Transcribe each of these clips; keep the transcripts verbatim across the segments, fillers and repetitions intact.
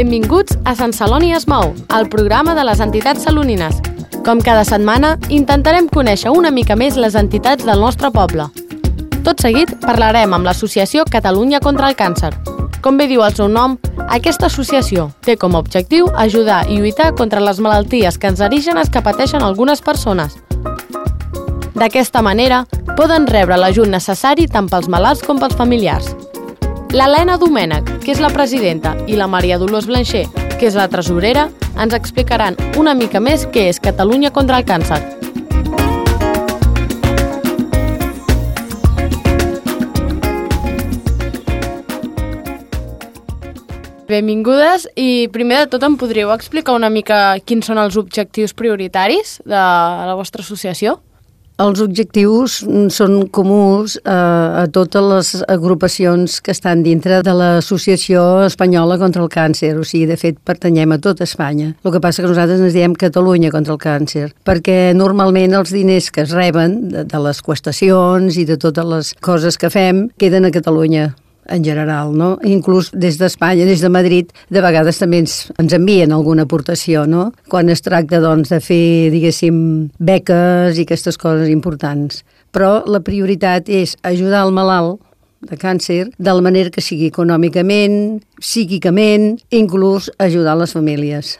Benvinguts a Sant Celoni es mou, el programa de les entitats salonines. Com cada setmana, intentarem conèixer una mica més les entitats del nostre poble. Tot seguit, parlarem amb l'Associació Catalunya contra el Càncer. Com bé diu el seu nom, aquesta associació té com a objectiu ajudar i lluitar contra les malalties cancerígenes que pateixen algunes persones. D'aquesta manera, poden rebre l'ajut necessari tant pels malalts com pels familiars. L'Helena Domènech, que és la presidenta, i la Maria Dolors Blancher, que és la tresorera, ens explicaran una mica més què és Catalunya contra el Càncer. Benvingudes i primer de tot em podríeu explicar una mica quins són els objectius prioritaris de la vostra associació? Els objectius són comuns a, a totes les agrupacions que estan dintre de l'Associació Espanyola contra el Càncer. O sigui, de fet, pertanyem a tota Espanya. El que passa que nosaltres ens diem Catalunya contra el Càncer, perquè normalment els diners que es reben de, de les qüestacions i de totes les coses que fem queden a Catalunya en general, no? Inclús des d'Espanya, des de Madrid, de vegades també ens, ens envien alguna aportació, no? Quan es tracta, doncs, de fer, diguéssim, beques i aquestes coses importants. Però la prioritat és ajudar el malalt de càncer de la manera que sigui econòmicament, psíquicament, inclús ajudar les famílies.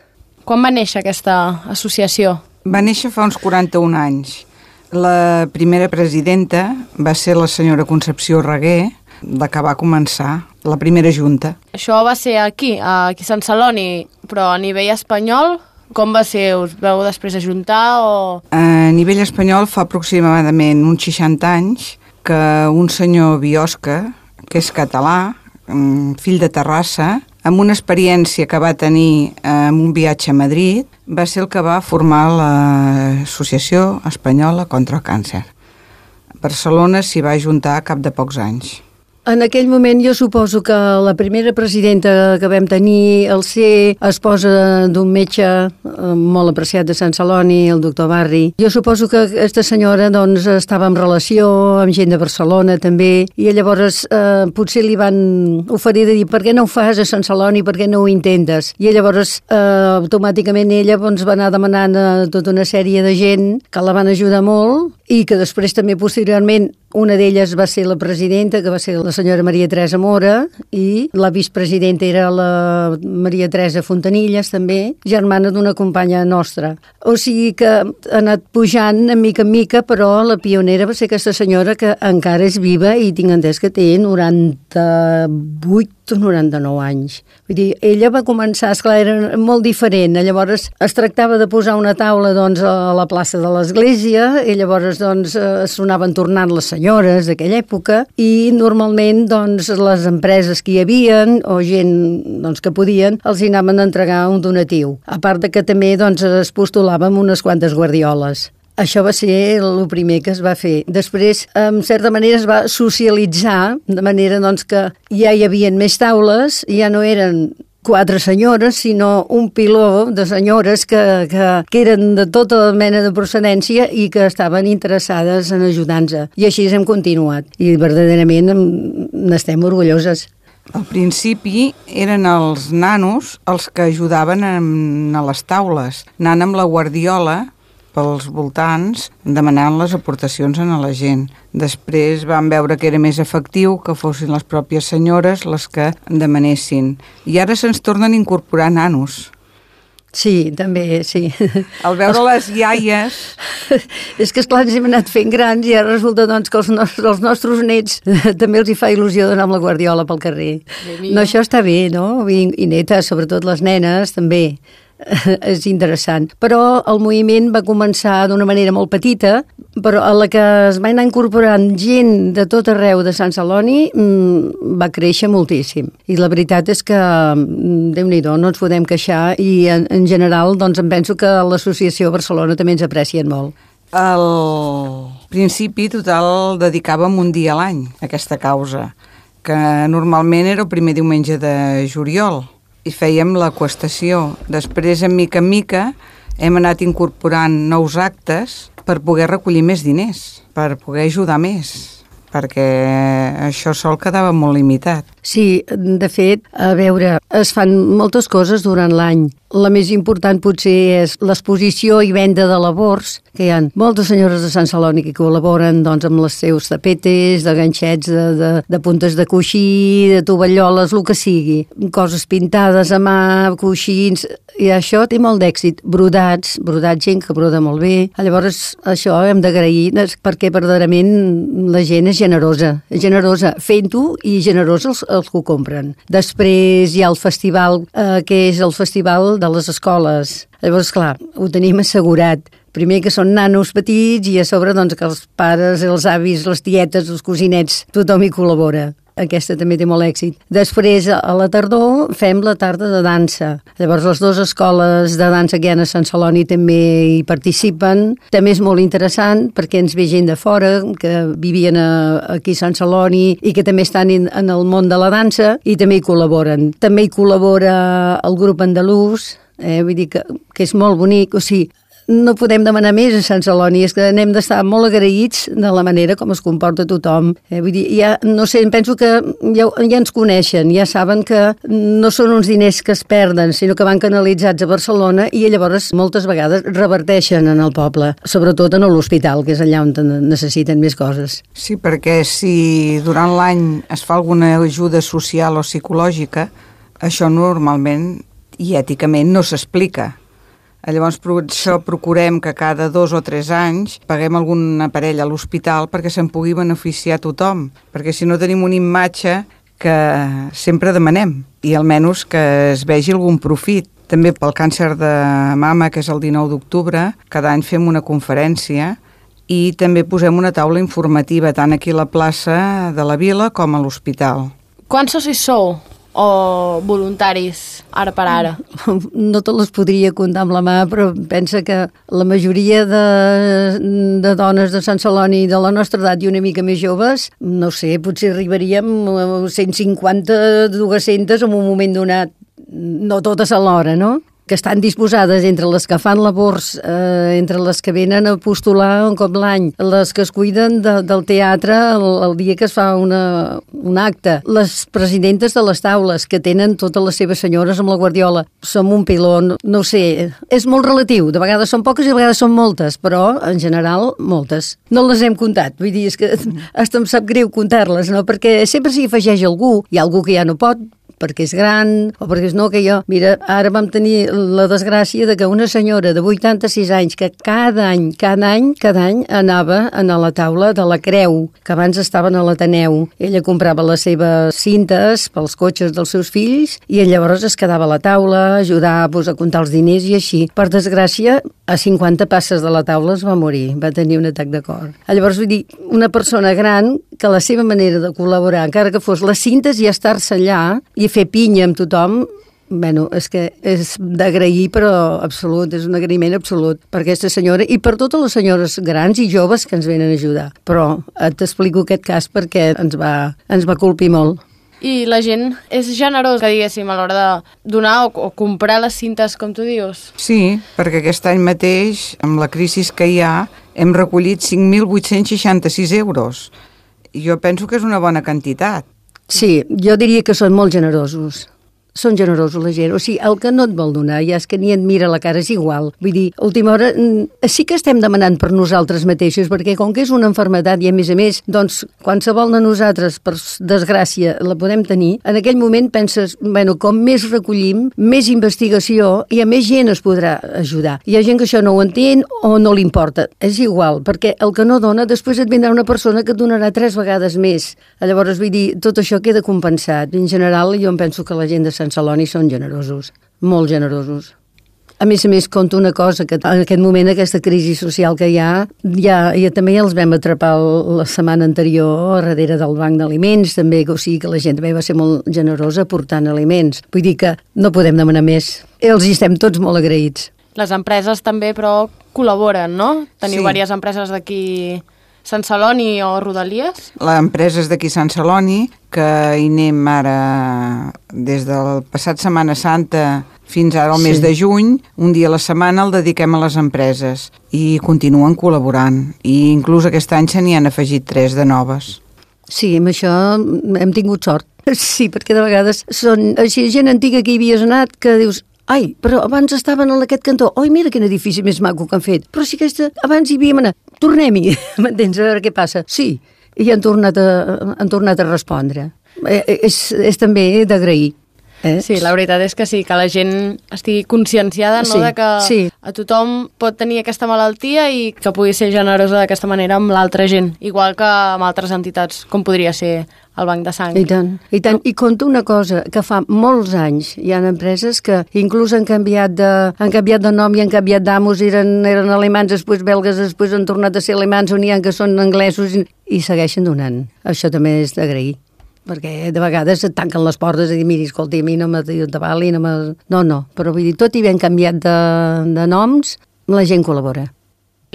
Quan va néixer aquesta associació? Va néixer fa uns quaranta-un anys. La primera presidenta va ser la senyora Concepció Reguer, la que va començar la primera junta. Això va ser aquí, aquí a Sant Celoni, però a nivell espanyol, com va ser? Us vau després ajuntar o...? A nivell espanyol fa aproximadament uns seixanta anys que un senyor Biosca, que és català, fill de Terrassa, amb una experiència que va tenir en un viatge a Madrid, va ser el que va formar l'Associació Espanyola contra el Càncer. A Barcelona s'hi va ajuntar a cap de pocs anys. En aquell moment jo suposo que la primera presidenta que vam tenir, al ser esposa d'un metge molt apreciat de Sant Celoni, el doctor Barri, jo suposo que aquesta senyora doncs, estava en relació amb gent de Barcelona també, i llavors eh, potser li van oferir de dir per què no ho fas a Sant Celoni, per què no ho intentes? I llavors eh, automàticament ella doncs, va anar demanant a tota una sèrie de gent que la van ajudar molt i que després també posteriorment una d'elles va ser la presidenta, que va ser la senyora Maria Teresa Mora, i la vicepresidenta era la Maria Teresa Fontanilles, també, germana d'una companya nostra. O sigui que ha anat pujant de mica en mica, però la pionera va ser aquesta senyora que encara és viva i tinc entès que té noranta-vuit o noranta-nou anys. Vull dir, ella va començar, esclar, era molt diferent. Llavors es tractava de posar una taula doncs, a la plaça de l'església i llavors doncs, sonaven tornant les senyores d'aquella època i normalment doncs, les empreses que hi havien o gent doncs, que podien els hi anaven a entregar un donatiu. A part de que també doncs, es postulàvem unes quantes guardioles. Això va ser el primer que es va fer. Després, en certa manera, es va socialitzar, de manera doncs, que ja hi havia més taules, ja no eren quatre senyores, sinó un piló de senyores que, que, que eren de tota mena de procedència i que estaven interessades en ajudar-nos. I així hem continuat. I verdaderament n'estem orgulloses. Al principi eren els nanos els que ajudaven a les taules, anant amb la guardiola pels voltants, demanant les aportacions a la gent. Després van veure que era més efectiu que fossin les pròpies senyores les que demanessin. I ara se'ns tornen a incorporar nanos. Sí, també, sí. Al veure les iaies... És que, esclar, ens hem anat fent grans i ara resulta doncs, que els nostres, els nostres nets també els hi fa il·lusió d'anar amb la guardiola pel carrer. No, això està bé, no? I, i netes, sobretot les nenes, també. És interessant. Però el moviment va començar d'una manera molt petita, però a la que es va anar incorporant gent de tot arreu de Sant Celoni mmm, va créixer moltíssim. I la veritat és que, Déu-n'hi-do, no ens podem queixar i en, en general doncs, em penso que l'associació Barcelona també ens aprecien molt. Al principi total dedicàvem un dia a l'any a aquesta causa, que normalment era el primer diumenge de juliol. I fèiem la qüestació. Després, en mica en mica, hem anat incorporant nous actes per poder recollir més diners, per poder ajudar més, perquè això sol quedava molt limitat. Sí, de fet, a veure, es fan moltes coses durant l'any. La més important potser és l'exposició i venda de labors, que hi ha moltes senyores de Sant Celoni que col·laboren doncs, amb els seus tapetes, de ganxets, de, de, de puntes de coixí, de tovalloles, el que sigui. Coses pintades a mà, coixins, i això té molt d'èxit. Brodats, brodats, gent que broda molt bé. Llavors, això hem d'agrair perquè verdaderament la gent és generosa, és generosa fent-ho i generosa els, els que ho compren. Després hi ha el festival, eh, que és el festival de les escoles. Llavors, clar, ho tenim assegurat. Primer que són nanos petits i a sobre doncs, que els pares, els avis, les tietes, els cosinets, tothom hi col·labora. Aquesta també té molt èxit. Després, a la tardor, fem la tarda de dansa. Llavors, les dues escoles de dansa que hi ha a Sant Celoni també hi participen. També és molt interessant perquè ens ve gent de fora que vivien a, aquí a Sant Celoni i que també estan en, en el món de la dansa i també hi col·laboren. També hi col·labora el grup andalús, eh? Vull dir que, que és molt bonic. O sigui, no podem demanar més a Sant Celoni, és que n'hem d'estar molt agraïts de la manera com es comporta tothom. Eh, vull dir, ja, no sé, penso que ja, ja ens coneixen, ja saben que no són uns diners que es perden, sinó que van canalitzats a Barcelona i llavors moltes vegades reverteixen en el poble, sobretot en l'hospital, que és allà on necessiten més coses. Sí, perquè si durant l'any es fa alguna ajuda social o psicològica, això normalment i èticament no s'explica. Llavors, per això procurem que cada dos o tres anys paguem algun aparell a l'hospital perquè se'n pugui beneficiar tothom, perquè si no tenim una imatge que sempre demanem i almenys que es vegi algun profit. També pel càncer de mama, que és el dinou d'octubre, cada any fem una conferència i també posem una taula informativa tant aquí a la plaça de la Vila com a l'hospital. Quants socis sou? O voluntaris, ara per ara? No te les podria comptar amb la mà, però pensa que la majoria de, de dones de Sant Celoni de la nostra edat i una mica més joves, no sé, potser arribaríem a cent cinquanta, dues-centes en un moment donat, no totes alhora, no? Que estan disposades entre les que fan labors, eh, entre les que venen a postular un cop l'any, les que es cuiden de, del teatre el, el dia que es fa una, un acte, les presidentes de les taules que tenen totes les seves senyores amb la guardiola. Som un piló, no ho sé, és molt relatiu, de vegades són poques i de vegades són moltes, però en general moltes. No les hem comptat, vull dir, és que hasta em sap greu comptar-les, no? Perquè sempre s'hi afegeix algú, hi ha algú que ja no pot, perquè és gran, o perquè és no, que jo... Mira, ara vam tenir la desgràcia de que una senyora de vuitanta-sis anys que cada any, cada any, cada any anava a la taula de la Creu, que abans estaven a l'Ateneu. Ella comprava les seves cintes pels cotxes dels seus fills i llavors es quedava a la taula, ajudava pues, a comptar els diners i així. Per desgràcia, a cinquanta passes de la taula es va morir, va tenir un atac de cor. Llavors, vull dir, una persona gran que la seva manera de col·laborar, encara que fos les cintes i estar-se allà i fer pinya amb tothom, bueno, és que és d'agrair, però absolut, és un agraïment absolut per aquesta senyora i per totes les senyores grans i joves que ens venen a ajudar. Però t'explico aquest cas perquè ens va, ens va colpir molt. I la gent és generosa, diguéssim, a l'hora de donar o, o comprar les cintes, com tu dius? Sí, perquè aquest any mateix, amb la crisi que hi ha, hem recollit cinc mil vuit-cents seixanta-sis euros. Jo penso que és una bona quantitat. Sí, jo diria que són molt generosos. Són generosos la gent. O sigui, el que no et vol donar ja és que ni et mira la cara, és igual. Vull dir, a última hora sí que estem demanant per nosaltres mateixos, perquè com que és una malaltia i a més a més, doncs qualsevol de nosaltres, per desgràcia, la podem tenir, en aquell moment penses, bueno, com més recollim, més investigació i a més gent es podrà ajudar. Hi ha gent que això no ho entén o no li importa. És igual, perquè el que no dona, després et vindrà una persona que et donarà tres vegades més. Llavors, vull dir, tot això queda compensat. En general, jo em penso que la gent de Sant Celoni són generosos, molt generosos. A més a més, conto una cosa, que en aquest moment, aquesta crisi social que hi ha, ja, ja també ja els vam atrapar la setmana anterior darrere del banc d'aliments, també, o sigui que la gent també va ser molt generosa aportant aliments. Vull dir que no podem demanar més. Els hi estem tots molt agraïts. Les empreses també, però, col·laboren, no? Teniu Sí. diverses empreses d'aquí Sant Celoni o Rodalies? L'empresa és d'aquí Sant Celoni, que hi anem ara des del passat Setmana Santa fins ara al mes Sí. de juny, un dia a la setmana el dediquem a les empreses i continuen col·laborant. I inclús aquest any se n'hi han afegit tres de noves. Sí, amb això hem tingut sort. Sí, perquè de vegades són així gent antiga que hi havies anat que dius, ai, però abans estaven en aquest cantó. Oi, mira quin edifici més maco que han fet. Però si aquesta, abans hi havíem anat. Tornem-hi, m'entens? A veure què passa. Sí, i han tornat a, han tornat a respondre. Eh, és, és també d'agrair. Eh? Sí, la veritat és que sí, que la gent estigui conscienciada, no?, sí, de que sí. a tothom pot tenir aquesta malaltia i que pugui ser generosa d'aquesta manera amb l'altra gent, igual que amb altres entitats, com podria ser el Banc de Sang. I tant, i tant. I conto una cosa, que fa molts anys hi ha empreses que inclús han canviat de, han canviat de nom i han canviat d'amos, eren, eren alemans, després belgues, després han tornat a ser alemans, on hi ha que són anglesos i, i segueixen donant. Això també és d'agrair. Perquè de vegades et tanquen les portes i dir, miri, escolta, a mi no m'atabali, no me... No, no, però vull dir, tot i ben canviat de, de noms, la gent col·labora.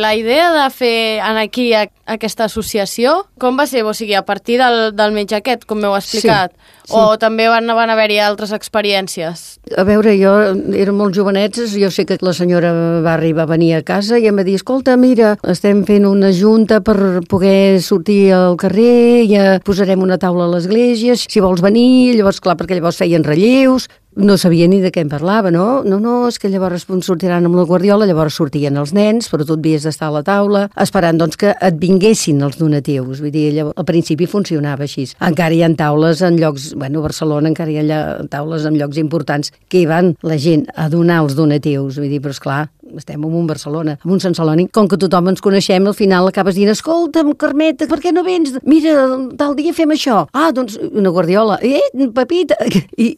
La idea de fer aquí a, aquesta associació, com va ser? O sigui, a partir del, del metge aquest, com m'heu explicat? Sí, sí. O també van, van haver-hi altres experiències? A veure, jo era molt jovenets, jo sé que la senyora Barri va venir a casa i em va dir, escolta, mira, estem fent una junta per poder sortir al carrer, ja posarem una taula a l'església, si vols venir, llavors, clar, perquè llavors feien relleus, no sabia ni de què em parlava, no? No, no, és que llavors sortiran amb la Guardiola, llavors sortien els nens, però tu havies d'estar a la taula, esperant doncs que et vinguessin els donatius. Vull dir, llavors, al principi funcionava així. Encara hi ha taules en llocs, bueno, a Barcelona encara hi ha taules en llocs importants que hi van la gent a donar els donatius. Vull dir, però esclar, estem en un Barcelona, en un Sant Celoni, com que tothom ens coneixem, al final acabes dient, escolta'm, Carmeta, per què no vens? Mira, tal dia fem això. Ah, doncs una Guardiola. Eh, Pepita. I,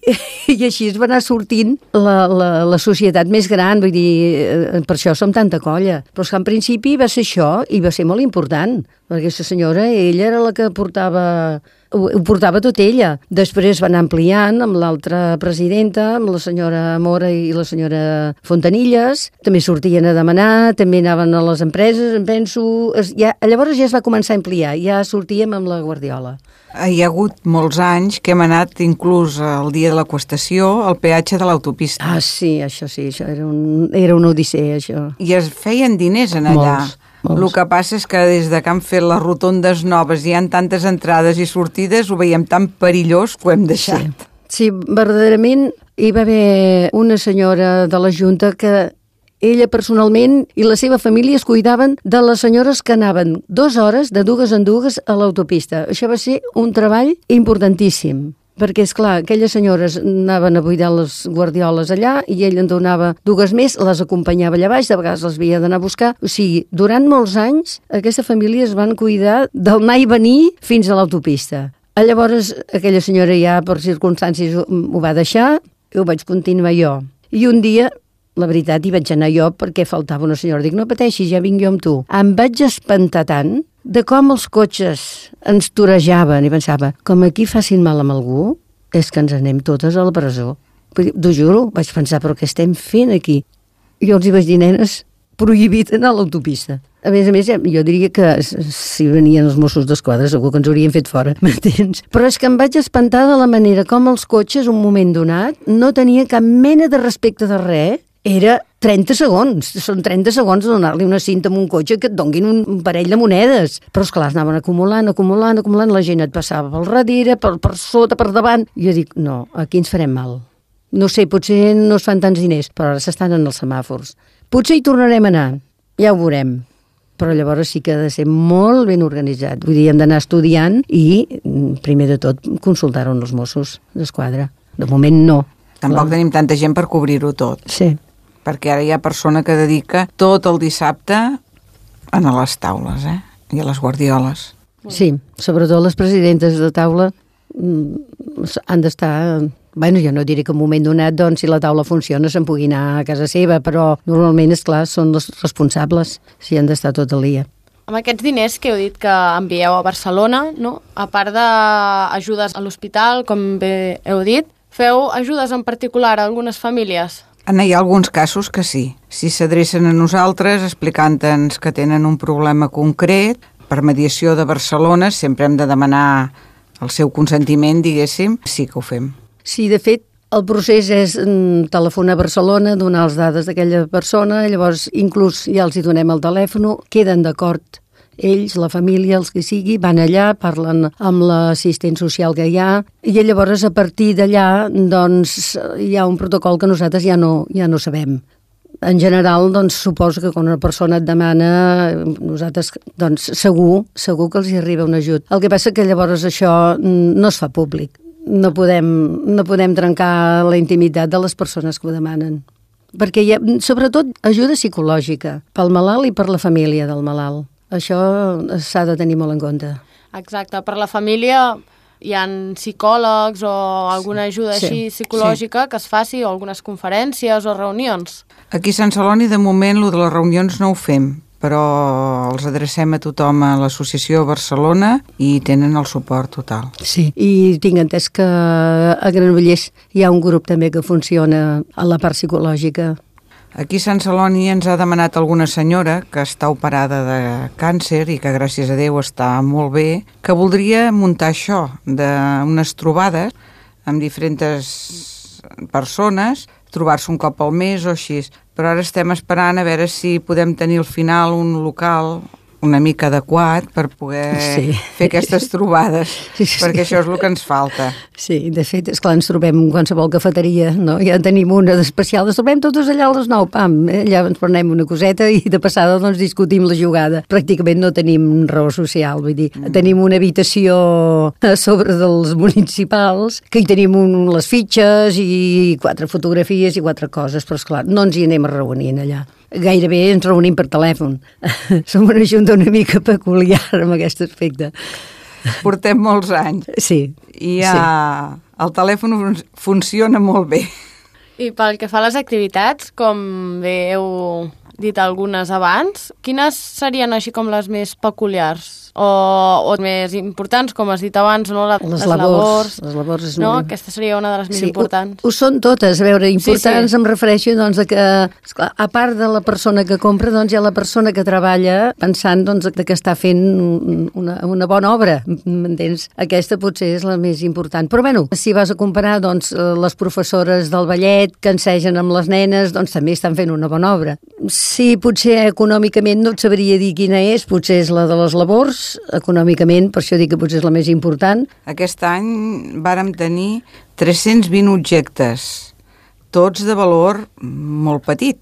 i així es va anar sortint la, la, la societat més gran, vull dir, per això som tanta colla. Però és que en principi va ser això i va ser molt important, perquè aquesta senyora, ella era la que portava... Ho, ho portava tot ella. Després van ampliant amb l'altra presidenta, amb la senyora Mora i la senyora Fontanilles. També sortien a demanar, també anaven a les empreses, em penso... Es, ja, llavors ja es va començar a ampliar, ja sortíem amb la Guardiola. Hi ha hagut molts anys que hem anat inclús el dia de l'acostació al peatge de l'autopista. Ah, sí, això sí, això era, un, era una odissea, això. I es feien diners en allà. Molts. Molts. El que passa és que des de que han fet les rotondes noves i hi ha tantes entrades i sortides, ho veiem tan perillós que ho hem deixat. Sí, sí, verdaderament hi va haver una senyora de la Junta que ella personalment i la seva família es cuidaven de les senyores que anaven dues hores, de dues en dues, a l'autopista. Això va ser un treball importantíssim. Perquè, és clar, aquelles senyores anaven a buidar les guardioles allà i ell en donava dues més, les acompanyava allà baix, de vegades les havia d'anar a buscar. O sigui, durant molts anys, aquesta família es van cuidar del anar i venir fins a l'autopista. Llavors, aquella senyora ja, per circumstàncies, ho va deixar i ho vaig continuar jo. I un dia, la veritat, hi vaig anar jo perquè faltava una senyora. Dic, no pateixis, ja vinc jo amb tu. Em vaig espantar tant de com els cotxes ens torejaven i pensava, com aquí facin mal amb algú, és que ens anem totes a la presó. T'ho juro, vaig pensar, però què estem fent aquí? Jo els hi vaig dir, nenes, prohibit anar a l'autopista. A més a més, jo diria que si venien els Mossos d'Esquadra segur que ens haurien fet fora, m'entens? Però és que em vaig espantar de la manera com els cotxes, un moment donat, no tenien cap mena de respecte de res. Era trenta segons, són trenta segons de donar-li una cinta amb un cotxe que et donguin un parell de monedes. Però esclar, anaven acumulant, acumulant, acumulant, la gent et passava pel darrere, per, per sota, per davant. I jo dic, no, aquí ens farem mal. No sé, potser no es fan tants diners, però ara s'estan en els semàfors. Potser hi tornarem a anar, ja ho veurem. Però llavors sí que ha de ser molt ben organitzat. Vull dir, hem d'anar estudiant i, primer de tot, consultar-ho amb els Mossos d'Esquadra. De moment no. Tampoc clar. Tenim tanta gent per cobrir-ho tot. Sí. Perquè ara hi ha persona que dedica tot el dissabte a les taules, eh? I a les guardioles. Sí, sobretot les presidentes de taula han d'estar... Bueno, jo no diré que en un moment donat, doncs, si la taula funciona, se'n pugui anar a casa seva, però normalment, és clar, són els responsables si han d'estar tot el dia. Amb aquests diners que heu dit que envieu a Barcelona, no? A part d'ajudes a l'hospital, com bé heu dit, feu ajudes en particular a algunes famílies? Hi ha alguns casos que sí. Si s'adrecen a nosaltres explicant-nos que tenen un problema concret, per mediació de Barcelona, sempre hem de demanar el seu consentiment, diguéssim, sí que ho fem. Sí, de fet, el procés és telefonar a Barcelona, donar les dades d'aquella persona, llavors inclús ja els hi donem el telèfon, queden d'acord Ells, la família, els que sigui, van allà, parlen amb l'assistent social que hi ha, i llavors a partir d'allà doncs, hi ha un protocol que nosaltres ja no, ja no sabem. En general, doncs, suposo que quan una persona et demana, nosaltres, doncs, segur, segur que els hi arriba un ajut. El que passa que llavors això no es fa públic. No podem, no podem trencar la intimitat de les persones que ho demanen. Perquè hi ha, sobretot, ajuda psicològica pel malalt i per la família del malalt. Això s'ha de tenir molt en compte. Exacte, per la família hi ha psicòlegs o alguna ajuda sí, així psicològica sí. que es faci, o algunes conferències o reunions. Aquí a Sant Celoni, de moment, lo de les reunions no ho fem, però els adrecem a tothom a l'associació Barcelona i tenen el suport total. Sí, i tinc entès que a Granollers hi ha un grup també que funciona a la part psicològica. Aquí a Sant Celoni ens ha demanat alguna senyora que està operada de càncer i que gràcies a Déu està molt bé, que voldria muntar això, d'unes trobades amb diferents persones, trobar-se un cop al mes o així. Però ara estem esperant a veure si podem tenir al final un local una mica adequat per poder sí. fer aquestes trobades, sí, sí, perquè això és el que ens falta. Sí, de fet, esclar, ens trobem en qualsevol cafeteria, no? Ja tenim una d'especial, ens trobem totes allà a les nou, pam, eh? Allà ens prenem una coseta i de passada doncs discutim la jugada. Pràcticament no tenim raó social, vull dir, mm. tenim una habitació a sobre dels municipals, que hi tenim un, les fitxes i quatre fotografies i quatre coses, però esclar, no ens hi anem a reunir allà. Gairebé ens reunim per telèfon. Som una junta una mica peculiar en aquest aspecte. Portem molts anys. Sí. I ja sí. El telèfon fun funciona molt bé. I pel que fa a les activitats, com bé heu dit algunes abans, quines serien així com les més peculiars? O, o més importants, com has dit abans, no? Les, les labors. Les labors és no? molt... Aquesta seria una de les més sí, importants. Ho, ho són totes, a veure, importants sí, sí. em refereixo doncs, a que, esclar, a part de la persona que compra, doncs hi ha la persona que treballa pensant doncs, que està fent una, una bona obra, m'entens? Aquesta potser és la més important. Però bueno, si vas a comparar doncs, les professores del ballet que ensegen amb les nenes, doncs també estan fent una bona obra. Sí, potser econòmicament no et sabria dir quina és, potser és la de les labors, econòmicament, per això dic que potser és la més important. Aquest any vàrem tenir tres-cents vint objectes, tots de valor molt petit,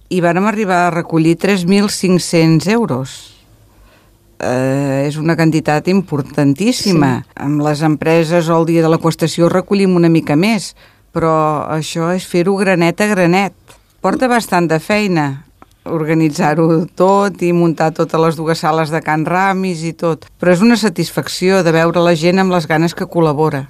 i vàrem arribar a recollir tres mil cinc-cents euros. Eh, és una quantitat importantíssima. Sí. Amb les empreses o el dia de l'acostació recollim una mica més, però això és fer-ho granet a granet. Porta bastant de feina organitzar-ho tot i muntar totes les dues sales de Can Ramis i tot. Però és una satisfacció de veure la gent amb les ganes que col·labora.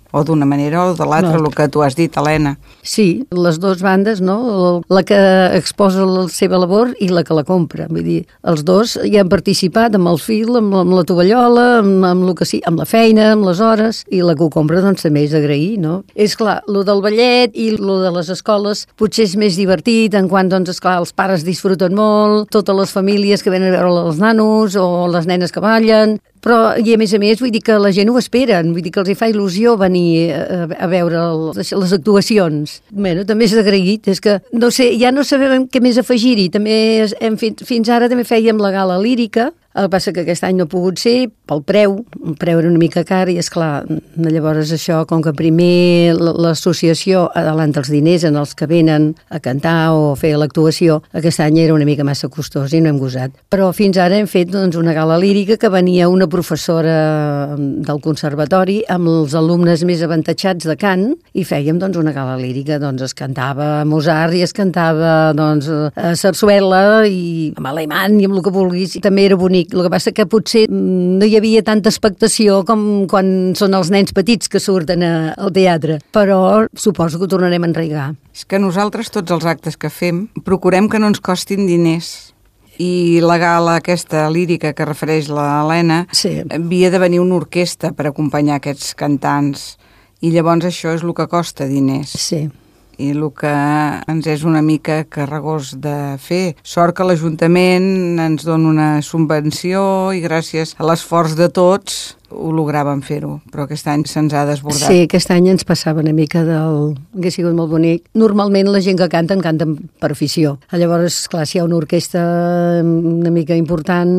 O d'una manera o de l'altra, no. El que tu has dit, Helena. Sí, les dues bandes, no? La que exposa la seva labor i la que la compra. Vull dir, els dos hi han participat amb el fil, amb, amb la tovallola, amb, amb, lo que sí, amb la feina, amb les hores, i la que ho compra doncs també és d'agrair, no? És clar, lo del ballet i lo de les escoles potser és més divertit, en quant, doncs, esclar, els pares disfruten molt, totes les famílies que venen a veure els nanos o les nenes que ballen, però, i a més a més, vull dir que la gent ho esperen, vull dir que els hi fa il·lusió venir a, a veure les, les actuacions. Bueno, també és agraït, és que, no sé, ja no sabem què més afegir-hi, també hem fet, fins ara també fèiem la gala lírica, el que passa que aquest any no ha pogut ser pel preu, el preu era una mica car i esclar, llavors això, com que primer l'associació adelanta els diners en els que venen a cantar o a fer l'actuació, aquest any era una mica massa costós i no hem gosat. Però fins ara hem fet doncs, una gala lírica que venia una professora del conservatori amb els alumnes més avantatjats de cant i fèiem doncs, una gala lírica, doncs es cantava Mozart i es cantava doncs, a Sarsuela i amb alemany i amb el que vulguis, també era bonic. El que passa que potser no hi havia tanta expectació com quan són els nens petits que surten a, al teatre, però suposo que ho tornarem a enraigar. És que nosaltres tots els actes que fem procurem que no ens costin diners. I la gala aquesta lírica que refereix la Helena sí. havia de venir una orquestra per acompanyar aquests cantants i llavors això és el que costa diners. Sí. I el que ens és una mica carregós de fer. Sort que l'Ajuntament ens dona una subvenció i gràcies a l'esforç de tots ho logràvem fer-ho, però aquest any se'ns ha desbordat. Sí, aquest any ens passava una mica del... Hauria sigut molt bonic. Normalment la gent que canten, canten per afició. Llavors, clar, si hi ha una orquestra una mica important,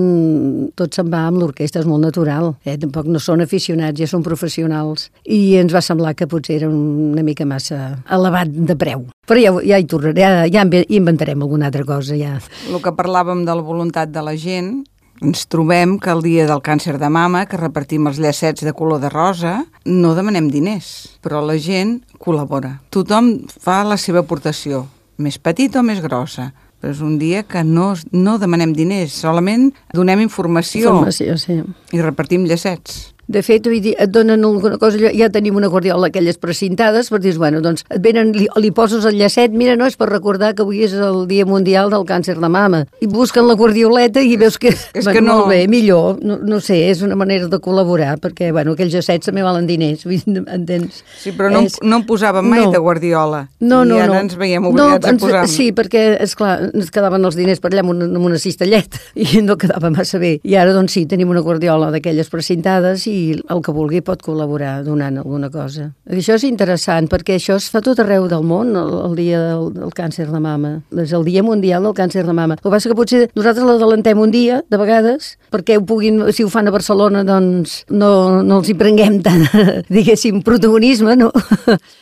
tot se'n va amb l'orquestra, és molt natural. Eh? Tampoc no són aficionats, ja són professionals. I ens va semblar que potser era una mica massa elevat de preu. Però ja, ja hi tornaré, ja, ja inventarem alguna altra cosa, ja. El que parlàvem de la voluntat de la gent, ens trobem que el dia del càncer de mama, que repartim els llacets de color de rosa, no demanem diners, però la gent col·labora. Tothom fa la seva aportació, més petita o més grossa, però és un dia que no, no demanem diners, solament donem informació, informació sí. I repartim llacets. De fet, vull dir, et donen alguna cosa, ja tenim una guardiola, aquelles precintades, per dir, bueno, doncs et venen, li, li poses el llacet, mira, no, és per recordar que avui és el Dia Mundial del Càncer de Mama. I busquen la guardioleta i veus que, és bueno, que no... molt bé, millor, no, no sé, és una manera de col·laborar, perquè, bueno, aquells llacets també valen diners, entens? Sí, però no, és... no en posàvem mai no. de guardiola. No, no, I ara no. ens veiem obligats no, ens, a posar... Sí, perquè, esclar, ens quedaven els diners per allà amb una, amb una cistelleta i no quedava massa bé. I ara, doncs sí, tenim una guardiola d'aquelles precintades i el que vulgui pot col·laborar donant alguna cosa. Això és interessant perquè això es fa tot arreu del món, el, el dia del, del càncer de mama. És el Dia Mundial del Càncer de Mama. El que passa que potser nosaltres l'adelantem un dia, de vegades, perquè ho puguin, si ho fan a Barcelona, doncs no, no els hi prenguem tant, diguéssim, protagonisme, no?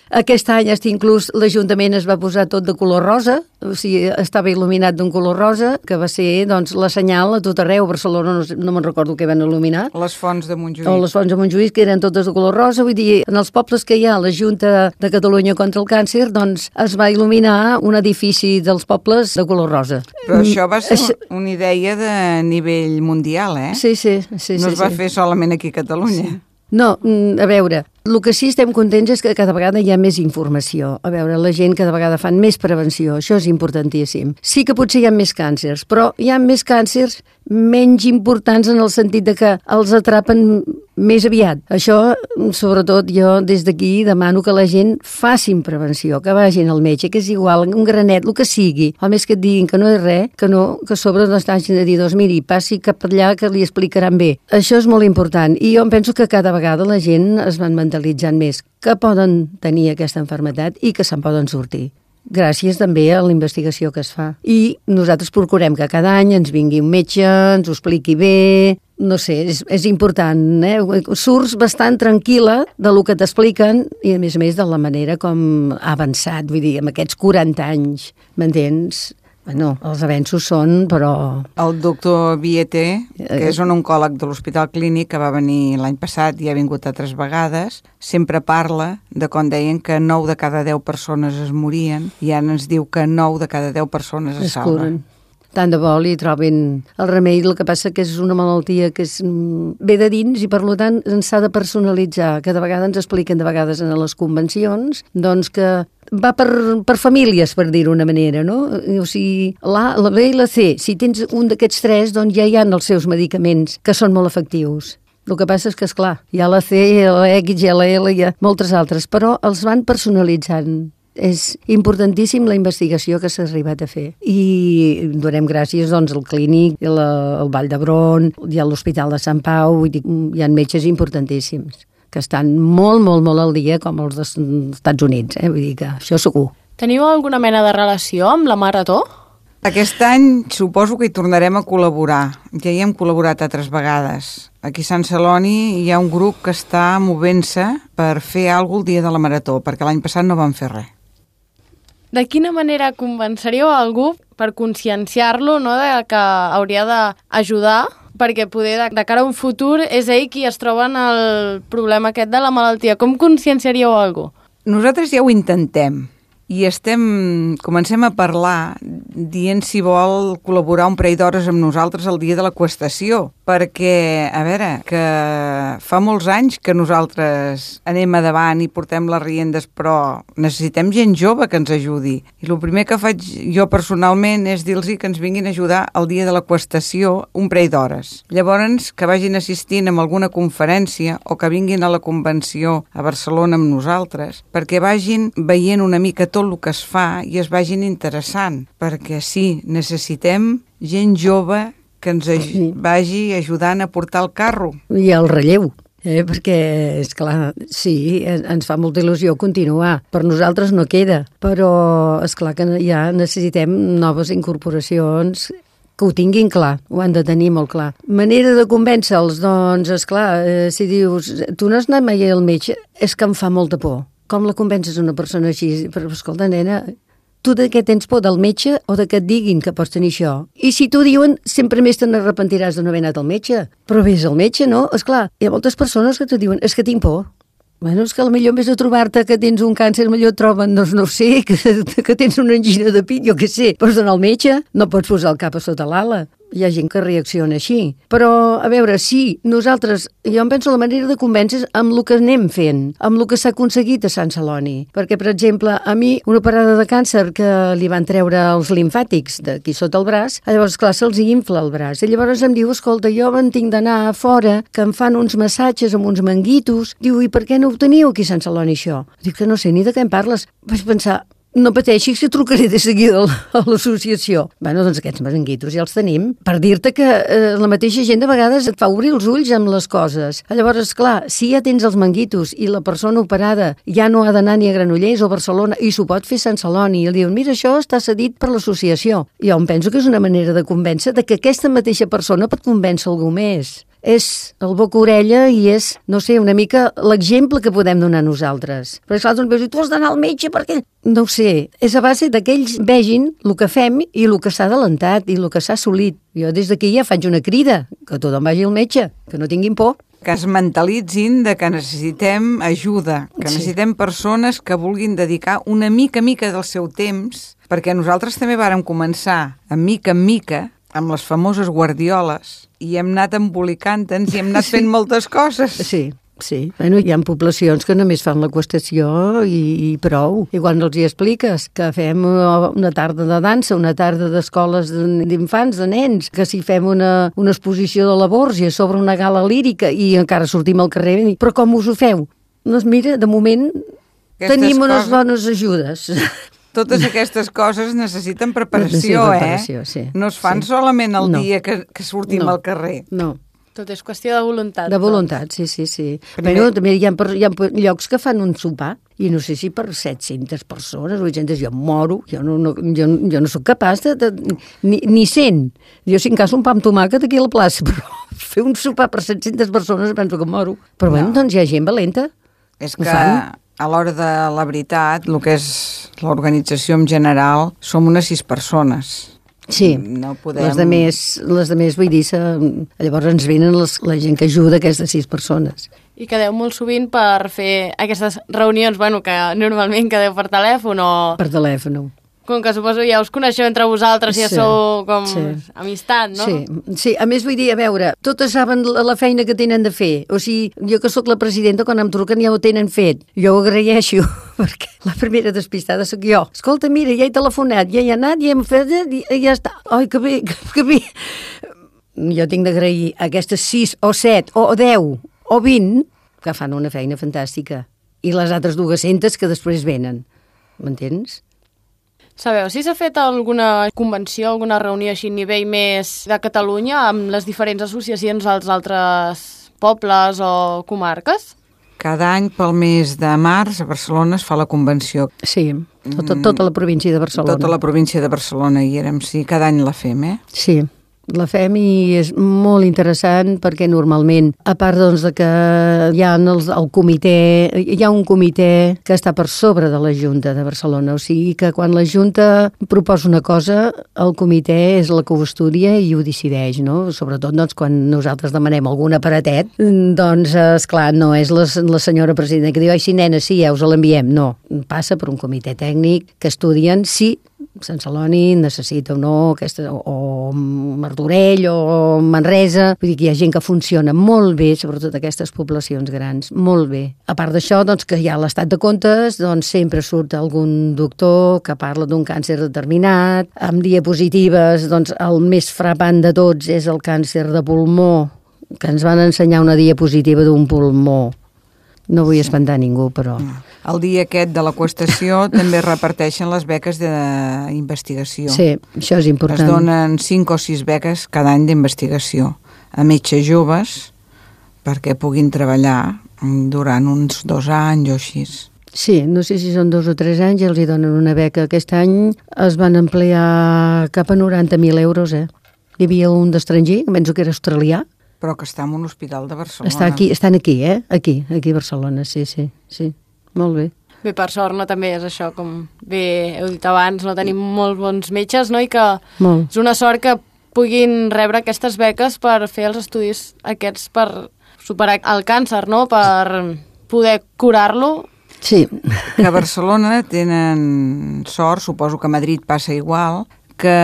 Aquest any, inclús, l'Ajuntament es va posar tot de color rosa, o sigui, estava il·luminat d'un color rosa, que va ser, doncs, la senyal a tot arreu. A Barcelona no, no me'n recordo què van il·luminar. Les fonts de Montjuïc. O les fonts de Montjuïc, que eren totes de color rosa. Vull dir, en els pobles que hi ha la Junta de Catalunya contra el Càncer, doncs es va il·luminar un edifici dels pobles de color rosa. Però això va ser mm. una idea de nivell mundial, eh? Sí, sí. sí no sí, es va sí. fer solament aquí a Catalunya. Sí. No, a veure, el que sí estem contents és que cada vegada hi ha més informació. A veure, la gent cada vegada fan més prevenció, això és importantíssim. Sí que potser hi ha més càncers, però hi ha més càncers menys importants en el sentit de que els atrapen més aviat. Això, sobretot, jo des d'aquí demano que la gent facin prevenció, que vagin al metge, que és igual, un granet, el que sigui. A més que et diguin que no és res, que no, que a sobre no estagin de dir, doncs miri, passi cap allà que li explicaran bé. Això és molt important i jo em penso que cada vegada la gent es van mentalitzant més que poden tenir aquesta malaltia i que se'n poden sortir. Gràcies també a la investigació que es fa. I nosaltres procurem que cada any ens vingui un metge, ens ho expliqui bé, no sé, és, és important, eh? Surts bastant tranquil·la de lo que t'expliquen i a més a més de la manera com ha avançat, vull dir, amb aquests quaranta anys, m'entens? Bueno, els avenços són, però... El doctor Vieté, que és un oncòleg de l'Hospital Clínic, que va venir l'any passat i ha vingut altres vegades, sempre parla de quan deien que nou de cada deu persones es morien i ara ens diu que nou de cada deu persones es, es salven. Tant de bo li trobin el remei, el que passa que és una malaltia que és, ve de dins i per tant ens s'ha de personalitzar, que de vegades ens expliquen de vegades en les convencions, doncs que va per, per famílies, per dir-ho d'una manera, no? O sigui, l'A, la B i la C, si tens un d'aquests tres, doncs ja hi ha els seus medicaments, que són molt efectius. El que passa és que, esclar, hi ha la C, la X, hi ha la L, hi ha moltes altres, però els van personalitzant. És importantíssim la investigació que s'ha arribat a fer. I donem gràcies doncs, al Clínic, la, al Vall d'Hebron, hi ha l'Hospital de Sant Pau, vull dir, hi ha metges importantíssims que estan molt, molt, molt al dia com els dels Estats Units, eh? Vull dir que això segur. Teniu alguna mena de relació amb la Marató? Aquest any suposo que hi tornarem a col·laborar. Ja hi hem col·laborat altres vegades. Aquí a Sant Celoni hi ha un grup que està movent-se per fer alguna cosa el dia de la Marató, perquè l'any passat no van fer res. De quina manera convenceríeu a algú per conscienciar-lo, no, de que hauria d'ajudar, perquè poder de, de cara a un futur és ell qui es troba en el problema aquest de la malaltia? Com conscienciaríeu a algú? Nosaltres ja ho intentem i estem, comencem a parlar dient si vol col·laborar un parell d'hores amb nosaltres el dia de la qüestació, perquè, a veure, que fa molts anys que nosaltres anem a davant i portem les riendes, però necessitem gent jove que ens ajudi. I el primer que faig jo personalment és dir-los que ens vinguin a ajudar el dia de la qüestació un parell d'hores. Llavors, que vagin assistint a alguna conferència o que vinguin a la convenció a Barcelona amb nosaltres, perquè vagin veient una mica tot el que es fa i es vagin interessant, perquè sí, necessitem gent jove que ens aj- vagi ajudant a portar el carro. I el relleu. Eh, perquè, és clar, sí, ens fa molta il·lusió continuar. Per nosaltres no queda, però és clar que ja necessitem noves incorporacions que ho tinguin clar, ho han de tenir molt clar. Manera de convèncer-los, doncs, és clar, eh, si dius, tu no has anat mai al metge, és que em fa molta por. Com la convences una persona així? Però, escolta, nena, tu de què tens por, del metge o de que et diguin que pots tenir això? I si t'ho diuen, sempre més te n'arrepentiràs de no haver anat al metge. Però vés al metge, no? Esclar, hi ha moltes persones que t'ho diuen, és que tinc por. Bueno, és que potser en vez de trobar-te que tens un càncer, potser et troben, doncs no ho sé, que, que tens una angina de pit, jo què sé. Pots anar al metge, no pots posar el cap a sota l'ala. Hi ha gent que reacciona així. Però, a veure, sí, nosaltres, jo em penso la manera de convèncer amb el que anem fent, amb el que s'ha aconseguit a Sant Celoni. Perquè, per exemple, a mi, una operada de càncer que li van treure els limfàtics d'aquí sota el braç, llavors, clar, se'ls infla el braç. I llavors em diu, escolta, jo me'n tinc d'anar a fora, que em fan uns massatges amb uns manguitos. Diu, i per què no ho teniu aquí a Sant Celoni, això? Dic que no sé ni de què em parles. Vaig pensar, no pateixis que trucaré de seguida a l'associació. Bueno, doncs aquests manguitos ja els tenim. Per dir-te que eh, la mateixa gent de vegades et fa obrir els ulls amb les coses. Llavors, esclar, si ja tens els manguitos i la persona operada ja no ha d'anar ni a Granollers o a Barcelona i s'ho pot fer a Sant Celoni, i el diuen, mira, això està cedit per l'associació. Jo em penso que és una manera de convèncer de que aquesta mateixa persona pot convèncer algú més. És el boca-orella i és, no sé, una mica l'exemple que podem donar nosaltres. Perquè clar, doncs, tu has d'anar al metge perquè... No ho sé, és a base que ells vegin el que fem i el que s'ha adelantat i el que s'ha assolit. Jo des d'aquí ja faig una crida, que tothom vagi al metge, que no tinguin por. Que es mentalitzin de que necessitem ajuda, que Sí. necessitem persones que vulguin dedicar una mica mica del seu temps, perquè nosaltres també vàrem començar, a mica en mica, amb les famoses guardioles, i hem anat embolicant-nos i hem anat fent moltes coses. Sí, sí. Bueno, hi ha poblacions que només fan la qüestió i, i prou. I quan els hi expliques que fem una tarda de dansa, una tarda d'escoles d'infants, de nens, que si fem una, una exposició de la Borja sobre una gala lírica i encara sortim al carrer, però com us ho feu? Doncs mira, de moment Aquestes tenim unes coses- bones ajudes. Totes aquestes coses necessiten preparació, Necessiten preparació, eh? sí. No es fan Sí. solament el No. dia que, que sortim No. al carrer. No. Tot és qüestió de voluntat. De voluntat, sí, sí, sí. Primer- Però també hi ha, hi ha llocs que fan un sopar, i no sé si per set-centes persones, vuit-centes, jo em moro, jo no, no, jo, jo no sóc capaç de... de ni, ni cent. Jo, si en cas, un pa amb tomàquet aquí a la plaça, però fer un sopar per set-centes persones penso que em moro. Però bueno, No. doncs hi ha gent valenta. És Ho que fan. a l'hora de la veritat, el que és l'organització en general, som unes sis persones. Sí, No podem... les de més, les de més vull dir, se, llavors ens venen les, la gent que ajuda aquestes sis persones. I quedeu molt sovint per fer aquestes reunions, bueno, que normalment quedeu per telèfon o... Per telèfon. Com que suposo ja us coneixeu entre vosaltres, ja Sí, sou com sí. amistat, no? Sí, sí, a més vull dir, a veure, totes saben la, la feina que tenen de fer. O sigui, jo que sóc la presidenta, quan em truquen ja ho tenen fet. Jo ho agraeixo, perquè la primera despistada sóc jo. Escolta, mira, ja he telefonat, ja he anat, ja hem fet, i ja està. Ai, que bé, que, que bé. Jo tinc d'agrair a aquestes sis o set o deu o vint que fan una feina fantàstica. I les altres dues-centes que després venen. M'entens? Sabeu si s'ha fet alguna convenció, alguna reunió així a nivell més de Catalunya amb les diferents associacions dels altres pobles o comarques? Cada any pel mes de març a Barcelona es fa la convenció. Sí, tota, tota la província de Barcelona. Tota la província de Barcelona hi érem, sí, cada any la fem, eh? Sí, la fem i és molt interessant perquè normalment, a part doncs, de que hi ha els, el comitè, hi ha un comitè que està per sobre de la Junta de Barcelona, o sigui que quan la Junta proposa una cosa, el comitè és la que ho estudia i ho decideix, no? Sobretot doncs, quan nosaltres demanem algun aparatet, doncs, esclar, no és la, la senyora presidenta que diu, ai, sí, nena, sí, ja us l'enviem. No, passa per un comitè tècnic que estudien si Sant Celoni necessita o no, aquesta, o Martorell o Manresa. Vull dir que hi ha gent que funciona molt bé, sobretot aquestes poblacions grans, molt bé. A part d'això, doncs, que hi ha l'estat de comptes, doncs sempre surt algun doctor que parla d'un càncer determinat, amb diapositives, doncs el més frapant de tots és el càncer de pulmó, que ens van ensenyar una diapositiva d'un pulmó. No vull espantar ningú, però... El dia aquest de la qüestació també reparteixen les beques d'investigació. Sí, això és important. Es donen cinc o sis beques cada any d'investigació a metges joves perquè puguin treballar durant uns dos anys o així. Sí, no sé si són dos o tres anys i els hi donen una beca. Aquest any es van emplear cap a noranta mil euros, eh? Hi havia un d'estranger, que penso que era australià. Però que està en un hospital de Barcelona. Està aquí, estan aquí, eh? Aquí, aquí a Barcelona, sí, sí, sí. Molt bé. Bé, per sort, no, també és això, com bé heu dit abans, no tenim molt bons metges, no? I que molt. És una sort que puguin rebre aquestes beques per fer els estudis aquests per superar el càncer, no? Per poder curar-lo. Sí. Que a Barcelona tenen sort, suposo que a Madrid passa igual, que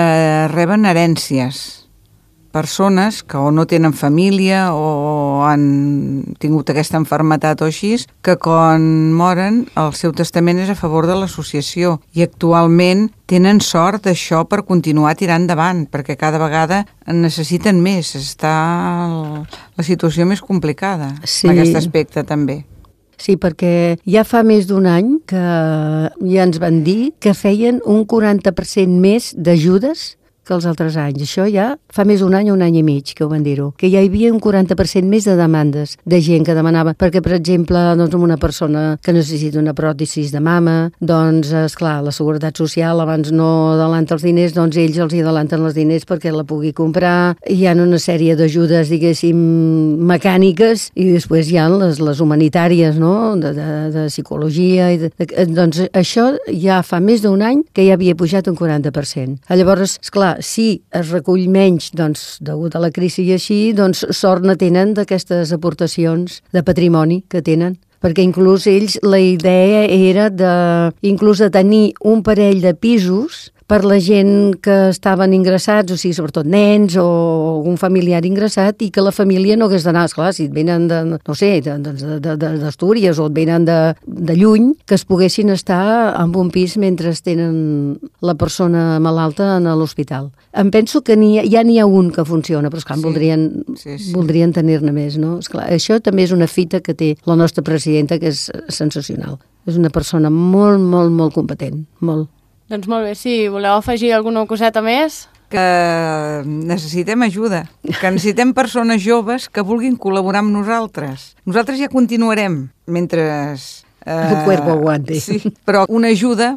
reben herències. Persones que o no tenen família o han tingut aquesta malaltia o així, que quan moren el seu testament és a favor de l'associació i actualment tenen sort d'això per continuar tirant endavant, perquè cada vegada en necessiten més, està la situació més complicada sí. En aquest aspecte també. Sí, perquè ja fa més d'un any que ja ens van dir que feien un quaranta per cent més d'ajudes que els altres anys. Això ja fa més d'un any o un any i mig que ho van dir-ho. Que ja hi havia un quaranta per cent més de demandes de gent que demanava. Perquè, per exemple, doncs, una persona que necessita una pròtesis de mama, doncs, esclar, la Seguretat Social abans no adelanta els diners, doncs ells els hi adelanten els diners perquè la pugui comprar. Hi ha una sèrie d'ajudes, diguéssim, mecàniques i després hi ha les, les humanitàries, no?, de, de, de psicologia. I de, de, doncs això ja fa més d'un any que ja havia pujat un quaranta per cent. Llavors, esclar, si es recull menys, doncs, degut a la crisi i així, doncs sort ne tenen d'aquestes aportacions de patrimoni que tenen. Perquè inclús ells, la idea era de, inclús de tenir un parell de pisos per la gent que estaven ingressats, o sigui, sobretot nens o algun familiar ingressat, i que la família no hagués d'anar, esclar, si et venen de, no sé, d'Astúries o et venen de, de lluny, que es poguessin estar en un pis mentre tenen la persona malalta a l'hospital. Em penso que n'hi ha, ja n'hi ha un que funciona, però esclar, sí, voldrien, sí, sí. voldrien tenir-ne més, no? Esclar, això també és una fita que té la nostra presidenta, que és sensacional. És una persona molt, molt, molt competent, molt. Doncs molt bé, si voleu afegir alguna coseta més... Que necessitem ajuda, que necessitem persones joves que vulguin col·laborar amb nosaltres. Nosaltres ja continuarem mentre... Eh, el cuerpo aguante. Sí, però una ajuda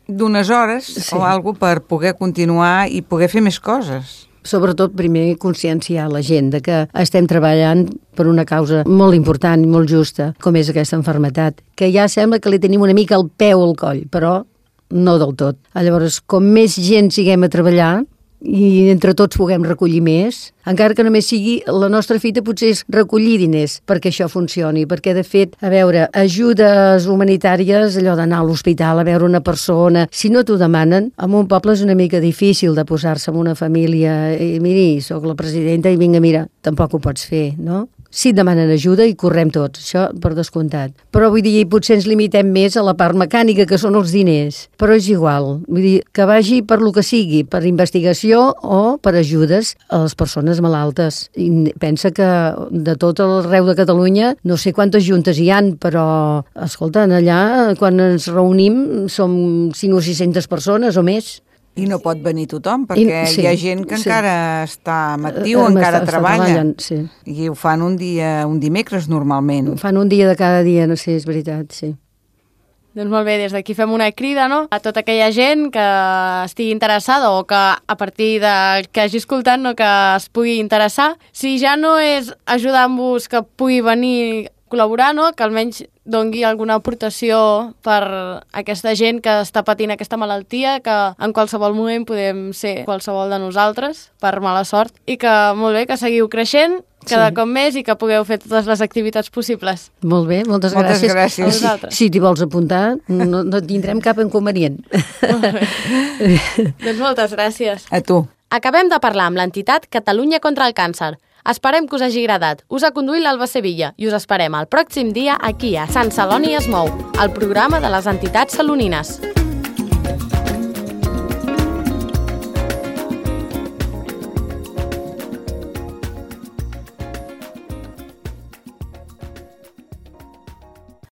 d'unes hores sí. o alguna cosa per poder continuar i poder fer més coses. Sobretot, primer, conscienciar la gent de que estem treballant per una causa molt important i molt justa, com és aquesta malaltia, que ja sembla que li tenim una mica el peu al coll, però no del tot. Llavors, com més gent siguem a treballar i entre tots puguem recollir més, encara que només sigui la nostra fita potser és recollir diners perquè això funcioni, perquè de fet, a veure, ajudes humanitàries, allò d'anar a l'hospital a veure una persona, si no t'ho demanen, en un poble és una mica difícil de posar-se en una família i miri, sóc la presidenta i vinga, mira, tampoc ho pots fer, no? Sí, demanen ajuda i correm tots, això per descomptat. Però vull dir, potser ens limitem més a la part mecànica, que són els diners. Però és igual, vull dir, que vagi per lo que sigui, per investigació o per ajudes a les persones malaltes. I pensa que de tot arreu de Catalunya, no sé quantes juntes hi han, però, escolta, allà, quan ens reunim, som cinc o sis-centes persones o més. I no pot venir tothom, perquè I, sí, hi ha gent que sí. encara està actiu, uh, encara està, treballa. Està sí. I ho fan un dia, un dimecres normalment. Ho fan un dia de cada dia, no sé, és veritat, sí. Doncs molt bé, des d'aquí fem una crida, no?, a tota aquella gent que estigui interessada o que a partir de que hagi escoltat, no?, que es pugui interessar. Si ja no és ajudant-vos que pugui venir col·laborar, no?, que almenys dongui alguna aportació per aquesta gent que està patint aquesta malaltia, que en qualsevol moment podem ser qualsevol de nosaltres, per mala sort, i que molt bé, que seguiu creixent cada sí. cop més i que pugueu fer totes les activitats possibles. Molt bé, moltes, moltes gràcies. gràcies. A vosaltres. Si t'hi vols apuntar, no, no tindrem cap inconvenient. Molt bé. Doncs moltes gràcies. A tu. Acabem de parlar amb l'entitat Catalunya contra el Càncer. Esperem que us hagi agradat. Us ha conduït l'Alba Sevilla i us esperem el pròxim dia aquí a Sant Celoni es mou, el programa de les entitats salonines.